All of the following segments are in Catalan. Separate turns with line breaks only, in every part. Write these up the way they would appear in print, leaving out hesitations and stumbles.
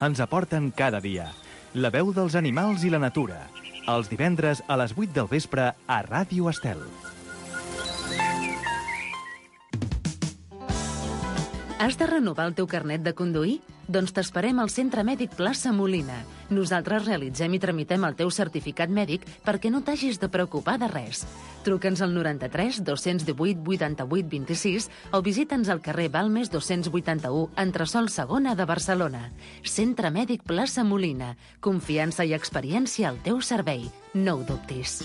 ens aporten cada dia la veu dels animals i la natura. Els divendres a les 8 del vespre a Ràdio Estel.
Has de renovar el teu carnet de conduir? Doncs t'esperem al Centre Mèdic Plaça Molina. Nosaltres realitzem i tramitem el teu certificat mèdic perquè no t'hagis de preocupar de res. Truca'ns al 93 218 88 26 o visita'ns al carrer Balmes 281, entresòl segona de Barcelona. Centre Mèdic Plaça Molina. Confiança i experiència al teu servei. No ho dubtis.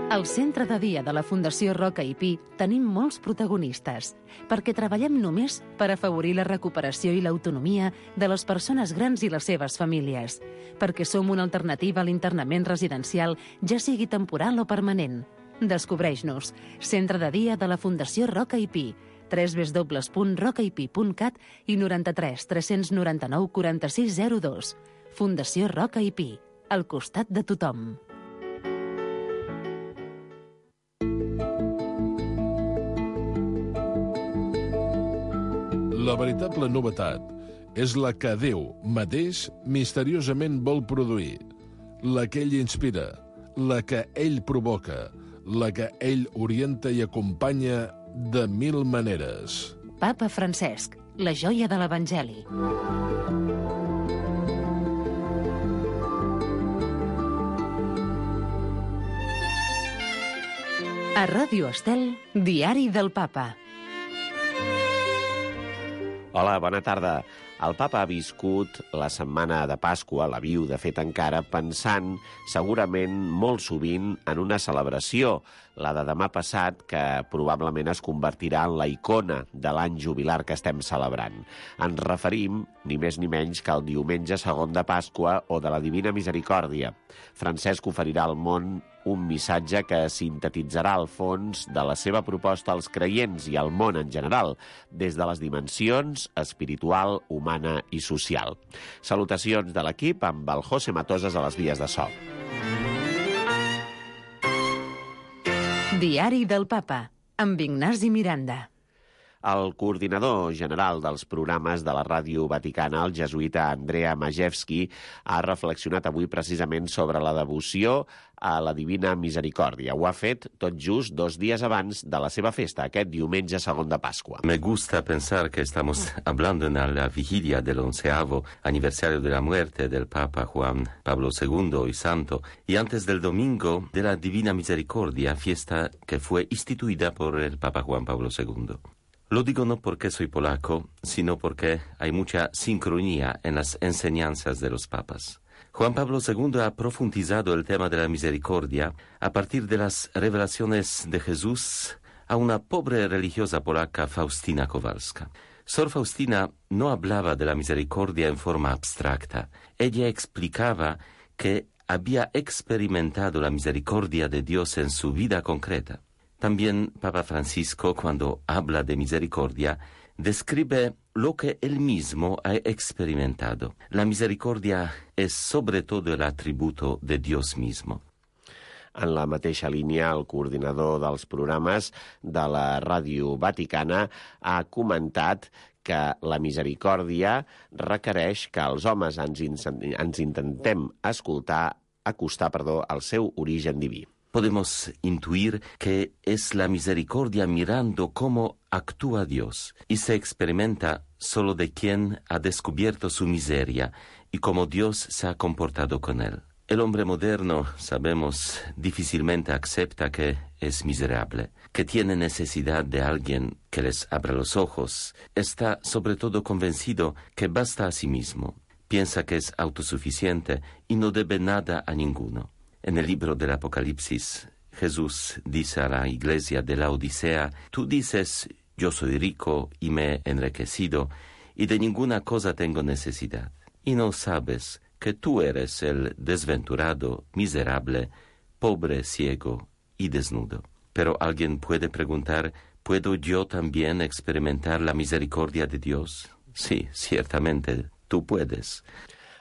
Al centre de dia de la Fundació Roca i Pi tenim molts protagonistes, perquè treballem només per afavorir la recuperació i l'autonomia de les persones grans i les seves famílies, perquè som una alternativa a l'internament residencial, ja sigui temporal o permanent. Descobreix-nos. Centre de dia de la Fundació Roca i Pi, www.rocaipi.cat i 93 399 4602. Fundació Roca i Pi, al costat de tothom.
La veritable novetat és la que Déu mateix misteriosament vol produir, la que ell inspira, la que ell provoca, la que ell orienta i acompanya de mil maneres.
Papa Francesc, la joia de l'Evangeli. A Ràdio Estel, Diari del Papa.
Hola, bona tarda. El papa ha viscut la setmana de Pasqua, la viu de fet encara, pensant segurament molt sovint en una celebració, la de demà passat, que probablement es convertirà en la icona de l'any jubilar que estem celebrant. Ens referim, ni més ni menys, que al diumenge segon de Pasqua o de la Divina Misericòrdia. Francesc oferirà al món un missatge que sintetitzarà el fons de la seva proposta als creients i al món en general, des de les dimensions espiritual, humana i social. Salutacions de l'equip amb el José Matosas a les vies de so.
Diari del Papa, amb Ignasi Miranda.
El coordinador general dels programes de la Ràdio Vaticana, el jesuïta Andrea Majewski, ha reflexionat avui precisament sobre la devoció a la Divina Misericòrdia. Ho ha fet tot just 2 dies abans de la seva festa, aquest diumenge segon de Pasqua.
Me gusta pensar que estamos hablando en la vigilia del 11º aniversario de la muerte del Papa Juan Pablo II y Santo, y antes del domingo de la Divina Misericordia, fiesta que fue instituida por el Papa Juan Pablo II. Lo digo no porque soy polaco, sino porque hay mucha sincronía en las enseñanzas de los papas. Juan Pablo II ha profundizado el tema de la misericordia a partir de las revelaciones de Jesús a una pobre religiosa polaca, Faustina Kowalska. Sor Faustina no hablaba de la misericordia en forma abstracta. Ella explicaba que había experimentado la misericordia de Dios en su vida concreta. También Papa Francisco, cuando habla de misericordia, describe lo que él mismo ha experimentado. La misericordia es sobre todo el atributo de Dios mismo.
En la mateixa línia, el coordinador dels programes de la Ràdio Vaticana ha comentat que la misericòrdia requereix que els homes ens intentem acostar al seu origen diví.
Podemos intuir que es la misericordia mirando cómo actúa Dios y se experimenta solo de quien ha descubierto su miseria y cómo Dios se ha comportado con él. El hombre moderno, sabemos, difícilmente acepta que es miserable, que tiene necesidad de alguien que les abra los ojos. Está sobre todo convencido que basta a sí mismo. Piensa que es autosuficiente y no debe nada a ninguno. En el libro del Apocalipsis, Jesús dice a la iglesia de la Odisea: tú dices, yo soy rico y me he enriquecido, y de ninguna cosa tengo necesidad. Y no sabes que tú eres el desventurado, miserable, pobre, ciego y desnudo. Pero alguien puede preguntar, ¿puedo yo también experimentar la misericordia de Dios? Sí, ciertamente, tú puedes.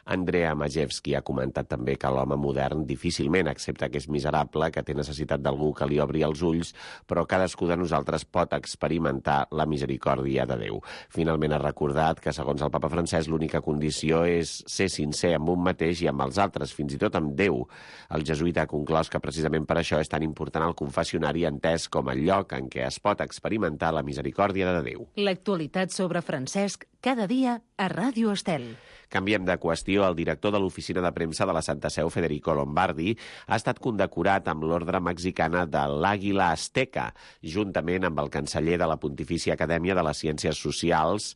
Andrea Majewski ha comentat també que l'home modern difícilment accepta que és miserable, que té necessitat d'algú que li obri els ulls, però cadascú de nosaltres pot experimentar la misericòrdia de Déu. Finalment ha recordat que, segons el papa Francesc, l'única condició és ser sincer amb un mateix i amb els altres, fins i tot amb Déu. El jesuïta ha conclòs que precisament per això és tan important el confessionari, entès com el lloc en què es pot experimentar la misericòrdia de Déu.
L'actualitat sobre Francesc cada dia a Ràdio Estel.
Canviem de qüestió. El director de l'oficina de premsa de la Santa Seu, Federico Lombardi, ha estat condecorat amb l'ordre mexicana de l'Àguila Azteca, juntament amb el canceller de la Pontifícia Acadèmia de les Ciències Socials,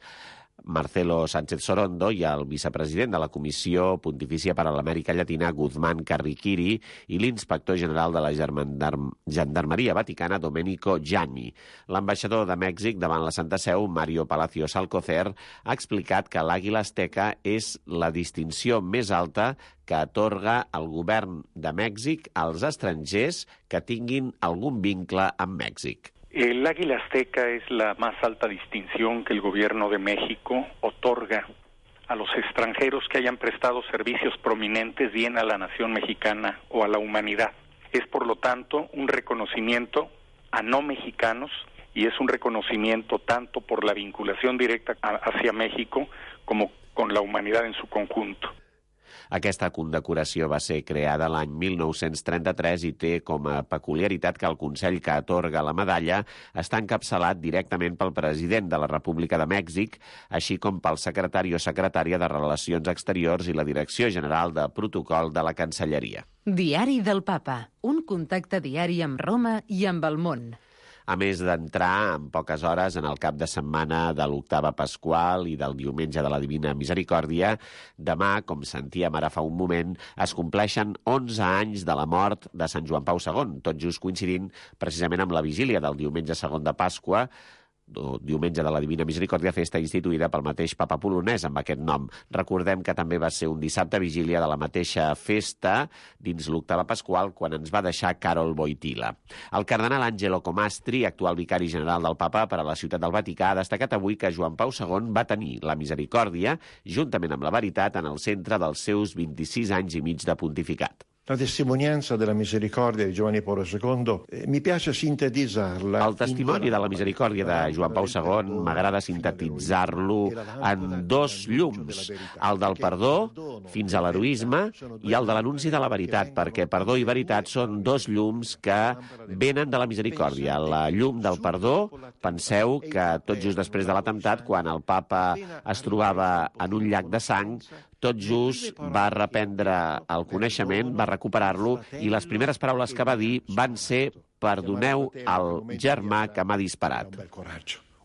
Marcelo Sánchez Sorondo, i el vicepresident de la Comissió Pontifícia per a l'Amèrica Llatina, Guzmán Carriquiri, i l'inspector general de la Gendarmeria Vaticana, Domenico Gianni. L'ambaixador de Mèxic davant la Santa Seu, Mario Palacios Alcocer, ha explicat que l'Àguila Azteca és la distinció més alta que atorga el govern de Mèxic als estrangers que tinguin algun vincle amb Mèxic.
El Águila Azteca es la más alta distinción que el gobierno de México otorga a los extranjeros que hayan prestado servicios prominentes bien a la nación mexicana o a la humanidad. Es, por lo tanto, un reconocimiento a no mexicanos y es un reconocimiento tanto por la vinculación directa hacia México como con la humanidad en su conjunto.
Aquesta condecoració va ser creada l'any 1933 i té com a peculiaritat que el Consell que atorga la medalla està encapçalat directament pel president de la República de Mèxic, així com pel secretari o secretària de Relacions Exteriors i la Direcció General de Protocol de la Cancelleria.
Diari del Papa, un contacte diari amb Roma i amb el món.
A més d'entrar en poques hores en el cap de setmana de l'octava pasqual i del diumenge de la Divina Misericòrdia, demà, com sentíem ara fa un moment, es compleixen 11 anys de la mort de Sant Joan Pau II, tot just coincidint precisament amb la vigília del diumenge segon de Pasqua, diumenge de la Divina Misericòrdia, festa instituïda pel mateix papa polonès amb aquest nom. Recordem que també va ser un dissabte vigília de la mateixa festa dins l'octava pasqual quan ens va deixar Karol Wojtyla. El cardenal Angelo Comastri, actual vicari general del papa per a la ciutat del Vaticà, ha destacat avui que Joan Pau II va tenir la misericòrdia, juntament amb la veritat, en el centre dels seus 26 anys i mig de pontificat.
La testimonianza della misericordia di Giovanni Paolo II, mi piace sintetizzarla.
El testimoni de la misericòrdia de Joan Pau II m'agrada sintetitzar-lo en dos llums, el del perdó fins a l'heroisme i el de l'anunci de la veritat, perquè perdó i veritat són dos llums que venen de la misericòrdia. La llum del perdó, penseu que tot just després de l'atemptat, quan el papa es trobava en un llac de sang, tot just va reprendre el coneixement, va recuperar-lo, i les primeres paraules que va dir van ser «Perdoneu al germà que m'ha disparat».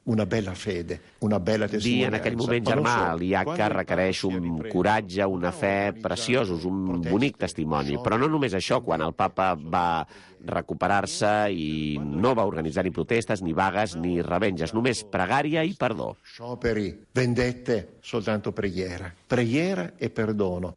Una bella fede, una bella testimonianza.
Dir en aquell moment germà a l'IACA requereix un coratge, una fe preciosos, un bonic testimoni. Però no només això, quan el papa va recuperar-se i no va organitzar ni protestes, ni vagues, ni revenges, només pregària i perdó.
Scioperi, vendette, soltanto preghiera. Preghiera e perdono.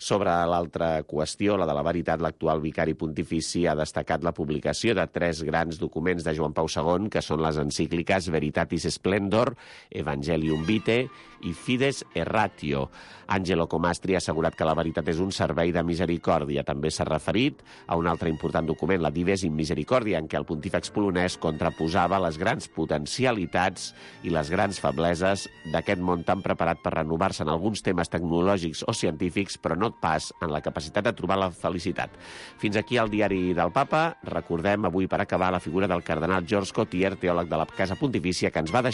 Sobre l'altra qüestió, la de la veritat, l'actual vicari pontifici ha destacat la publicació de 3 grans documents de Joan Pau II, que són les encícliques Veritatis Splendor, Evangelium Vitae i Fides Erratio. Angelo Comastri ha assegurat que la veritat és un servei de misericòrdia. També s'ha referit a un altre important document, la Dives in Misericordia, en què el pontífex polonès contraposava les grans potencialitats i les grans febleses d'aquest món tan preparat per renovar-se en alguns temes tecnològics o científics, però no pas en la capacitat de trobar la felicitat. Fins aquí el diari del papa. Recordem avui, per acabar, la figura del cardenal George Cotier, teòleg de la Casa Pontifícia, que ens va deixar